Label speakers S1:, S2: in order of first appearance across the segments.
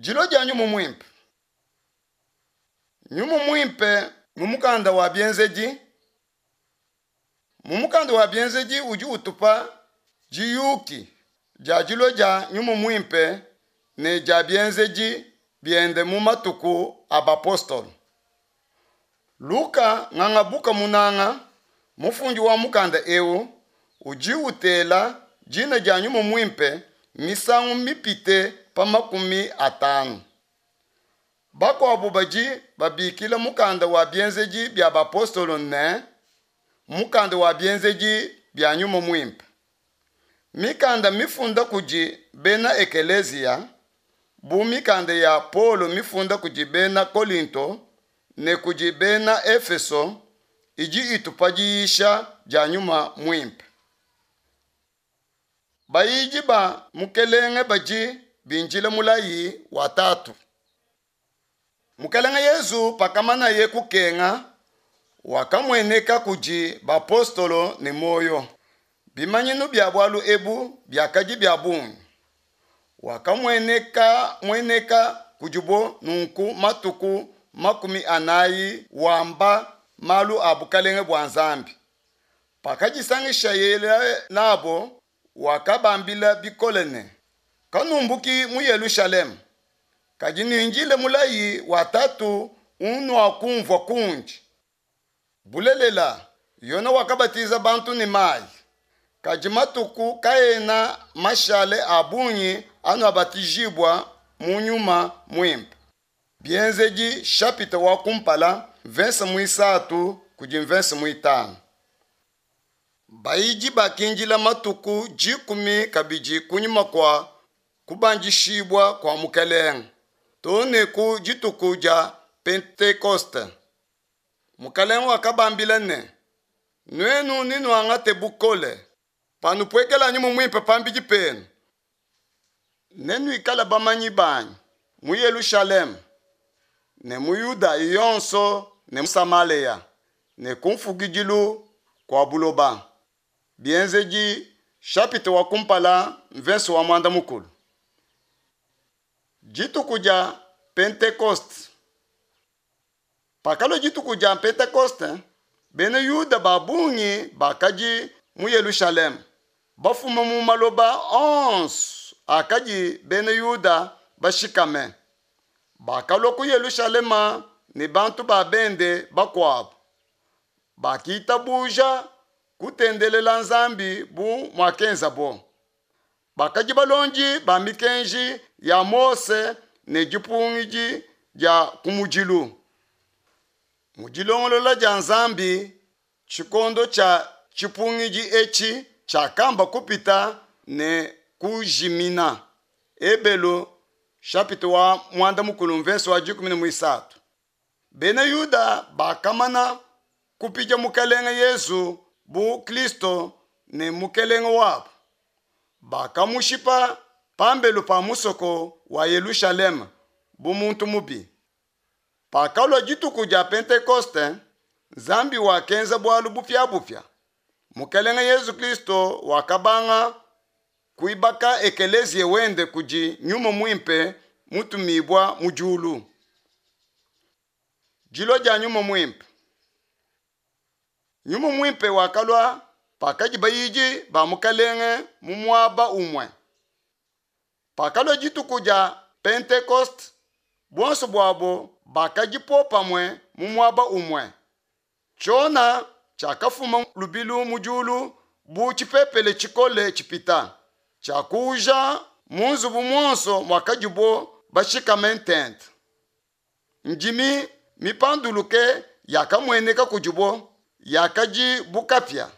S1: Dilua dia Nyuma Muimpe. Nyuma Muimpe mu mukanda wa Bienzedi. Mu mukanda wa Bienzedi udi utupa diyuki dia dilua dia Nyuma Muimpe ne dia bienzedi biende mu matuku a bapostolo. Luka ngangabuka munanga, mufundi wa mukanda eu, udi utela dina dia Nyuma Muimpe misangu mipite pa 50. Bakuabu badi babikila mukanda wa Bienzedi bia Bapostolo ne, mukanda wa Bienzedi bia Nyuma Muimpe. Mikanda mifunda kudi bena ekeleziya, bu mikanda ya Paulo mifunda kudi bena Kolinto ne kudi bena Efeso, idi itupa diyisha dia Nyuma Muimpe. Bayidi ba Mukelenge badi bindila mulayi wa Tatu. Mukelenge Yezu pakamanaye kukenga, wakamueneka kudi bapostolo ne muoyo. Bimanyinu bia bualu ebu biakadi bia bungi. Wakamueneka mueneka kudibo nunku matuku 40 wamba malu a bukalenge bua Nzambi. Pakadisangishaye nabo, wakabambila bikole ne, Kanumbuki mu Yelushalema, kadi nuindile mulayi wa Tatu unuakumvua kundi. Bulelela, Yone wakabatiza bantu ne mayi, kadi matuku kaena mashale a bungi anuabatijibua mu Nyuma Muimpe. Bienzedi shapita wa kumpala mvese muisatu kudi mvese muitanu. Bayidi bakindila matuku 10 kabidi kunyima kua kubandishibua kua Mukelenge, too ne ku dituku dia Pentekoste. Mukelenge wakabambila ne, Nuenu nenuangate bukole panupuekela Nyuma Muimpe pambidi penu, nenuikale bamanyi banyi mu Yelushalema ne mu Yuda yonso ne mu Samalea ne ku mfukidilu kua buloba. Bienzedi shapita wa kumpala mvese wa 10. Dituku dia Pentekoste. Pakalua dituku dia Pentekoste, bena Yuda ba bungi bakadi mu Yelushalema, bafuma mu maloba onso akadi bena Yuda bashikame. Bakalua ku Yelushalema ne bantu ba bende bakuabu. Bakitabuja kutendelela Nzambi bu muakenzabo. Bakadi balondi ba mikenji ya Mose ne dipungidi dia kumudilu. Mu dilongolola dia Nzambi, tshikondo tshia tshipungidi etshi tshiakamba kupita ne kujimina. Ebelu chapitre wa 10 mvese wa 13. Bena Yuda bakamana kupidia Mukelenge Yezu bu Kristo ne Mukelenge wabo. Bakamushipa pambelu pa musoko wa Yelushalema bu muntu mubi. Pakalua dituku dia Pentekoste, Nzambi wakenza bualu bupiabupia. Mukelenge Yezu Kristo wakabanga kuibaka ekeleziya wende kudi Nyuma Muimpe mutumibua mu diulu. Dilua dia Nyuma Muimpe. Nyuma Muimpe wakalua pakadi bayidi ba Mukelenge mu muaba umue. Pakalua dituku dia Pentekoste, buonso buabo bakadi popamue mu muaba umue. Tshiona tshiakafuma lubilu mu diulu bu tshipepele tshikole tshipita, tshiakuuja mu nzubu muonso muakadibo bashikame ntente. Ndimi mipanduluke yakamueneka kudibo, yakadi bu kapia,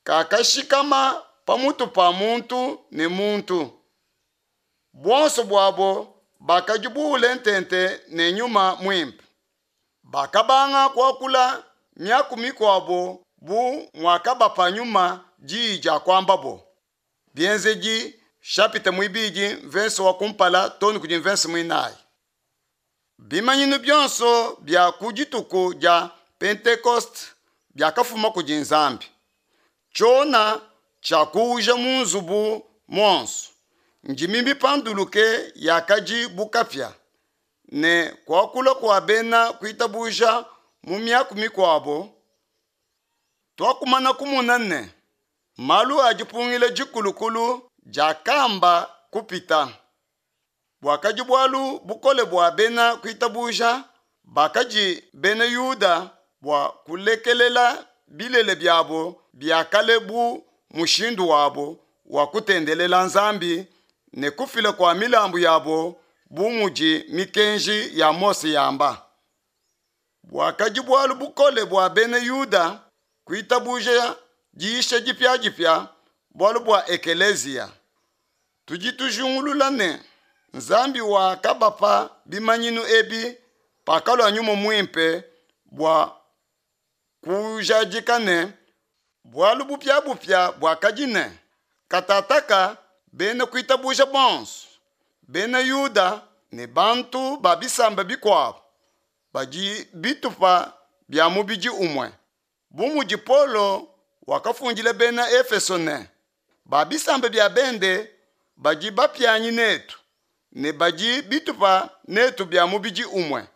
S1: kakashikama pamutu pa muntu ne muntu. Buonso buabo bakadi buule ntente ne Nyuma Muimpe. Bakabanga kuakula miaku mikuabo bu muakabapa Nyuma diyi dia kuambabo. Bienzedi chapitre muibidi mvese wa kumpala too ne kudi mvese muinayi. Bimanyinu bionso bia ku dituku dia Pentekoste biakafuma kudi Nzambi. Tshiona tshiakuuja mu nzubu muonso. Ndimi mipanduluke yakadi bu kapia, ne kuakula kua bena kuitabuja mu miaku mikuabo. Tuakumana kumona ne, malu a dipungila dikulukulu diakamba kupita. Buakadi bualu bukole bua bena kuitabuja bakadi bena Yuda bua kulekelela bilele biabo bia kale bu mushindu wabo wa kutendelela Nzambi ne kufila kua milambu yabo bu mudi mikenji ya Mose yamba. Buakadi bualu bukole bua bena Yuda kuitabuja diyisha dipiadipia bualu bua ekeleziya. Tudi tujingulula ne, Nzambi wakabapa bimanyinu ebi pakalua Nyuma Muimpe bua kujadika ne, bualu bupiabupia buakadi ne, katataka bena kuitabuja bonso, bena Yuda ne bantu ba bisamba bikuabo, badi bitupa bia mubidi umue. Bu mudi Paulo wakafundila bena Efeso ne, ba bisamba bia bende badi bapianyi netu ne badi bitupa netu bia mubidi umue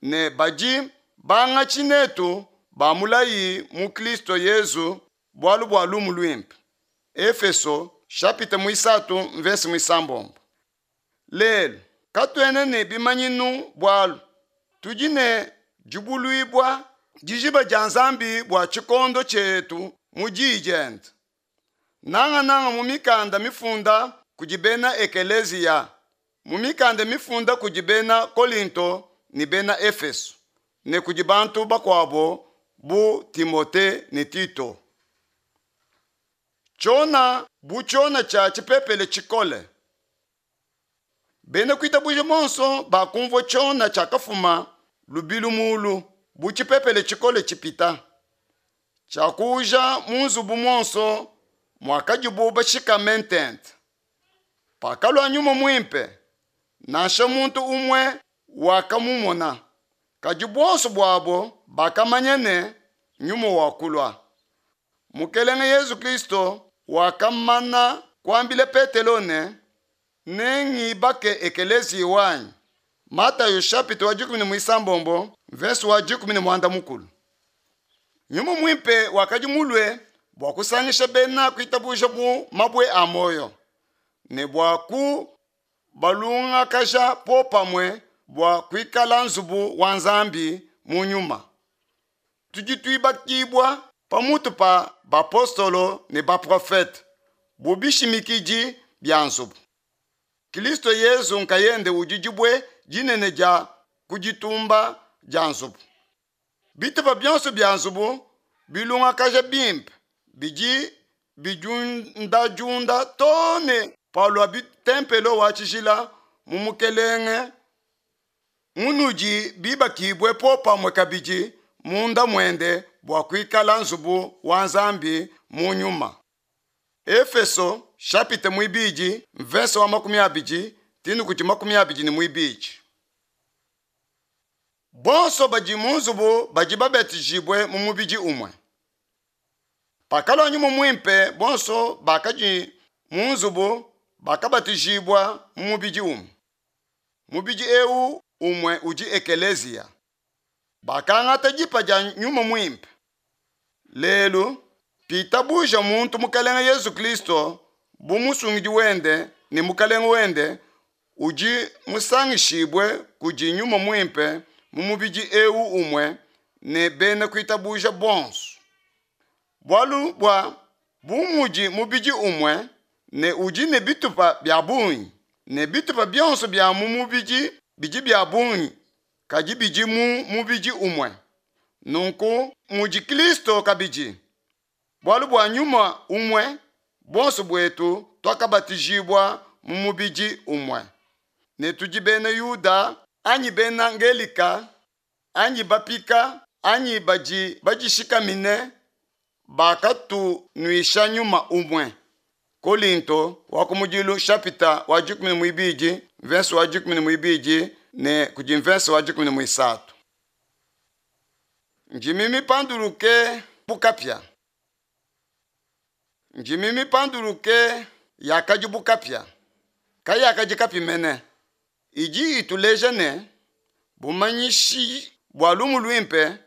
S1: ne badi bangatshi netu ba mulayi mu Kristo Yezu bualu bua lumu luimpe. Efeso chapitre muisatu mvese muisambombo. Lelu katuena ne bimanyinu bualu tudi ne dibuluibua dijiba dia Nzambi bua tshikondo tshietu mu Diyi diende, nangananga mu mikanda mifunda kudi bena ekeleziya, mu mikanda mifunda kudi bena Kolinto ne bena Efeso ne kudi bantu bakuabo bu Timote ne Tito. Tshiona bu tshiona tshia tshipepele tshikole. Bena kuitabuja bonso bakumvua tshiona tshiakafuma lubilu mulu bu tshipepele tshikole tshipita, tshiakuuja mu nzubu muonso muakadibu bashikame ntente. Pakalua Nyuma Muimpe, nansha muntu umue wakamumona, kadi buonso buabo bakamanya ne, Nyuma wakulua. Mukelenge Yezu Kristo wakamana kuambila Petelo ne, Nengibake ekeleziya wanyi. Matayo chapitre wa dikumi ne muisambombo mvese wa 14. Nyuma Muimpe wakadi mulue bua kusangisha bena kuitabuja bu mabue a muoyo ne bua kubalungakaja popamue bua kuikala nzubu wa Nzambi mu nyuma. Tudi tuibakibua pamutu pa bapostolo ne baprofete bu bishimikidi bia nzubu. Kristo Yezu nkayende udi dibue dinene dia ku ditumba dia nzubu. Bitupa bionso bia nzubu bilungakaja bimpe bidi bidiundadiunda too ne palua ntempelo wa tshijila mu Mukelenge munudi bibakibue popamue kabidi munda muende bua kuikala nzubu wa Nzambi mu nyuma. Efeso chapitre muibidi mvese wa 20 tinu kudi 22. Bonso badi mu nzubu badi babatijibue mu mubidi umue. Pakalua Nyuma Muimpe, bonso bakadi mu nzubu bakabatijibua mu mubidi umue. Mubidi eu umue udi ekeleziya. Bakangata dipa dia Nyuma Muimpe. Lelu, pitabuja muntu Mukelenge Yezu Kristo bu musungidi wende ne Mukelenge wende, udi musangishibue kudi Nyuma Muimpe mu mubidi eu umue ne bena kuitabuja bonso. Bualu bua bu mudi mubidi umue ne udi ne bitupa bia bungi, ne bitupa bionso bia mu mubidi bidi bia bungi, kadi bidi mu mubidi umue. Nunku mudi Kristo kabidi. Bualu bua nyuma umue, buonso buetu tuakabatijibua mu mubidi umue. Ne tudi bena Yuda anyi bena Ngelika anyi bapika anyi badi badishikamine, bakatunuisha nyuma umue. Kolinto wa kumudilu chapitre wa 12 verse wa 12 ne kudi verse wa 13. Ndimi mipanduluke bu kapia. Ndimi mipanduluke yakadi bu kapia. kayakadi kapi mene. Idi ituleja ne, bumanyishi bua lumu luimpe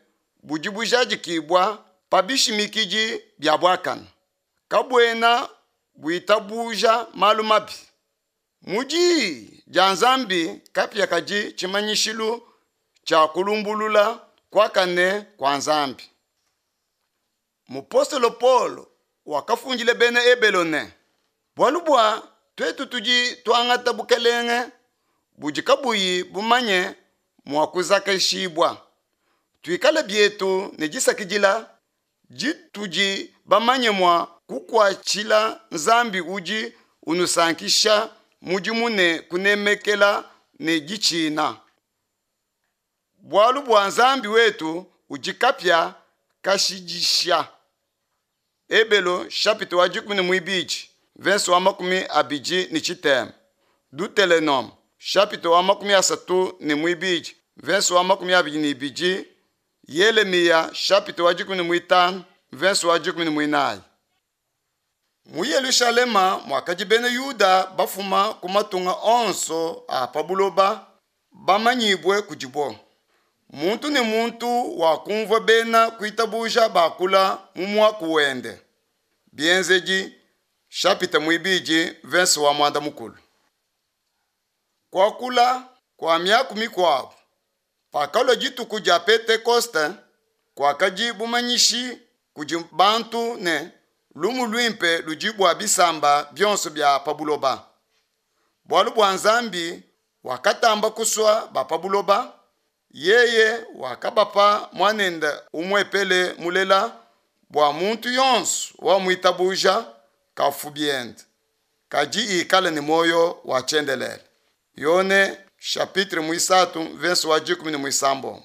S1: budi bujadikibua pa bishimikidi bia buakane, kabuena buitabuja malu mabi. Mu Diyi dia Nzambi kapia kadi tshimanyishilu tshia kulumbulula kuakane kua Nzambi. Mupostolo Paulo wakafundila Bena Ebelo ne, Bualu bua tuetu tudi tuangata bukelenge budi kabuyi bumanye mua kuzakashibua, tuikale bietu ne disakidila ditudi bamanye mua kukuatshila Nzambi udi unusankisha mudimu ne kunemekela ne ditshina. Bualu bua Nzambi wetu udi kapia kashidisha. Ebelo chapitre wa dikumi ne muibidi verse wa 23 Dutelenome chapitre wa 32 verse wa 22 Yelemiya chapitre wa 15 verse wa 14. Mu Yelushalema muakadi bena Yuda bafuma ku matunga onso a pa buloba bamanyibue kudibo. Muntu ne muntu wakumvua bena kuitabuja bakula mu muaku wende. Bienzedi chapitre muibidi verse wa muanda mukulu. Kuakula kua miaku mikuabu pakalua dituku dia Pentekoste kuakadi bumanyishi kudi bantu ne lumu luimpe ludi bua bisamba bionso bia pa buloba. Bualu bua Nzambi wakatamba kusua ba pa buloba, yeye wakabapa muanende umuepele mulela bua muntu yonso wamuitabuja kafu biende, kadi ikale ne muoyo wa tshiendelele. Yone chapitre muisatu verse wa 16.